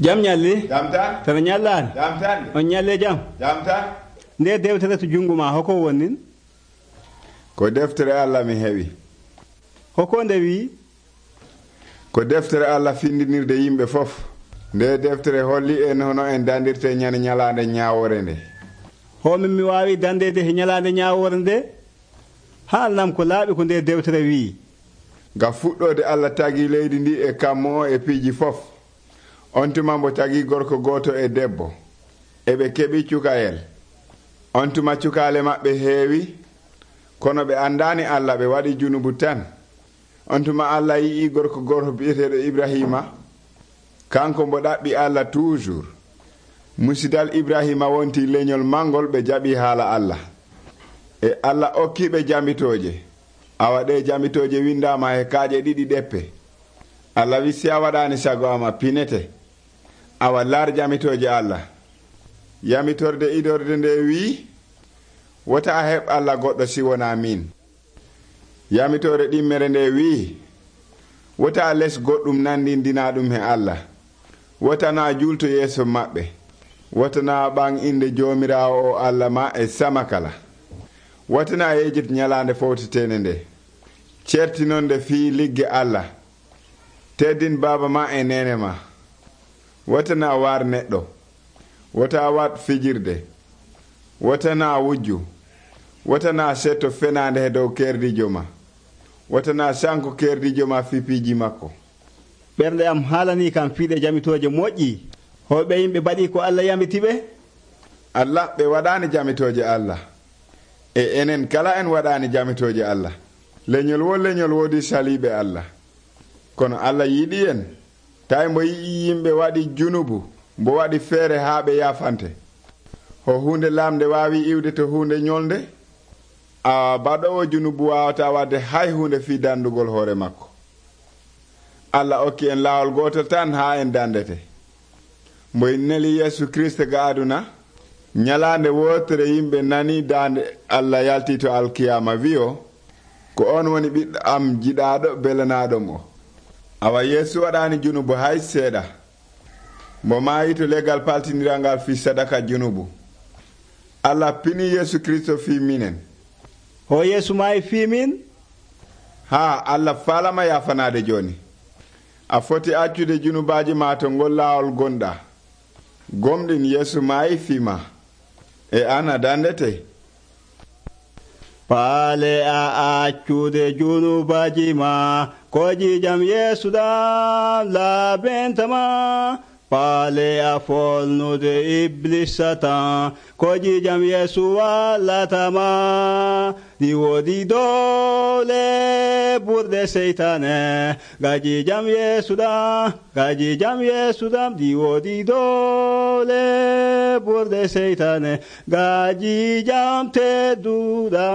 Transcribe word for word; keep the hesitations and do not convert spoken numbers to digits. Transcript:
Jam nyalli. Jam tan. Tan nyallan. Jam tan. On nyalle jam. Jam tan. Nde dewtere to jungo ma hoko wonnin? Ko deftere Allah mi heɓi. Hoko nde wi? Ko deftere Allah findinirde yimɓe fof. Nde deftere holli en hono en dandirte nyane nyalande nyaawore nde. Homin mi wawi dandede he nyalande nyaawore nde? Haalnam ko laaɓi ko nde deftere wi. Ga fuɗɗode Allah tagi leydi ndi e kammo e piiji fof. On tuma mbo tagi gorko goto e debbo. Eɓe keɓi cukayel. On tuma cukale maɓɓe heewi. Kono ɓe andani Allah, ɓe waɗi junubu tan. On tuma Allah yii gorko goto bi'eteɗo Ibrahima. Kanko mbo ɗaɓɓi Allah toujours. Musidal Ibrahima wonti leñol mangol ɓe jaɓi haala Allah. E Allah okkiɓe jambitoje. Awa ɗe jambitoje windama he kaaje ɗiɗi ɗeppe. Allah wi si a waɗani sago ama pinete. Awa lar jambitoje Allah. Yamitorde idorde nde wi wota a heɓ Allah goɗɗo si wona min. Yamitore ɗimmere nde wi wota a les goɗɗum nandindina ɗum he Allah. Wota na julto yeeso maɓɓe. Wota na ɓan inde jomirawo o Allah ma e sama kala. Wota na yejit nyalande fowtetene nde. Certinon nde fi ligge Allah. Teddin baba ma e nene ma. Wota na war neɗɗo. Wota wat fijirde. Wota na wujju. Wota na setto fenande he dow kerdijo ma. Wota na sanko kerdijo ma fipiji makko. Ɓernde am haalani kam fiiɗe jamitoje moƴƴi. Hoɓe yimɓe baɗi ko Allah yamitiɓe? Allah ɓe waɗani jamitoje Allah. E enen kala en waɗani jamitoje Allah. Leñol wo leñol wodi saliɓe Allah. Kono Allah yiɗi en. Tawi mbo yii yimɓe waɗi junubu, mbo waɗi feere haa ɓe yafante. Ho hunde lamde wawi iwde to hunde ñolde. A baɗowo junubu wawata wadde hay hunde fi dandugol hoore makko. Allah okki en lawol gotol tan ha en dandete. Mbo en neli Yesu Kriste ga aduna. Nyalande wotere yimɓe nani dande Allah yalti to alkiyama wiyo ko on woni ɓiɗɗo am jiɗaɗo belanaɗom o. Awa Yesu waɗani junubu hay seeɗa. Mbo maayi to legal paltinirangal fi sadaka junubu. Allah pini Yesu Kristo fi minen. Ho Yesu maayi fi min? Ha, Allah falama yafanade joni. A foti accude junubaji ma to ngol laawol gonɗa. Gomɗin Yesu maayi fi ma. E ana dandete. Paale a accude junubaji ma. Koji jam Yesu dam labentama. Paale a folnude Iblis Satan. Koji jam Yesu wallatama. Di wodi dole burde seytane. Gaji jam Yesu dam. Gaji jam Yesu dam. Di wodi dole burde seytane. Gaji jam tedduɗa.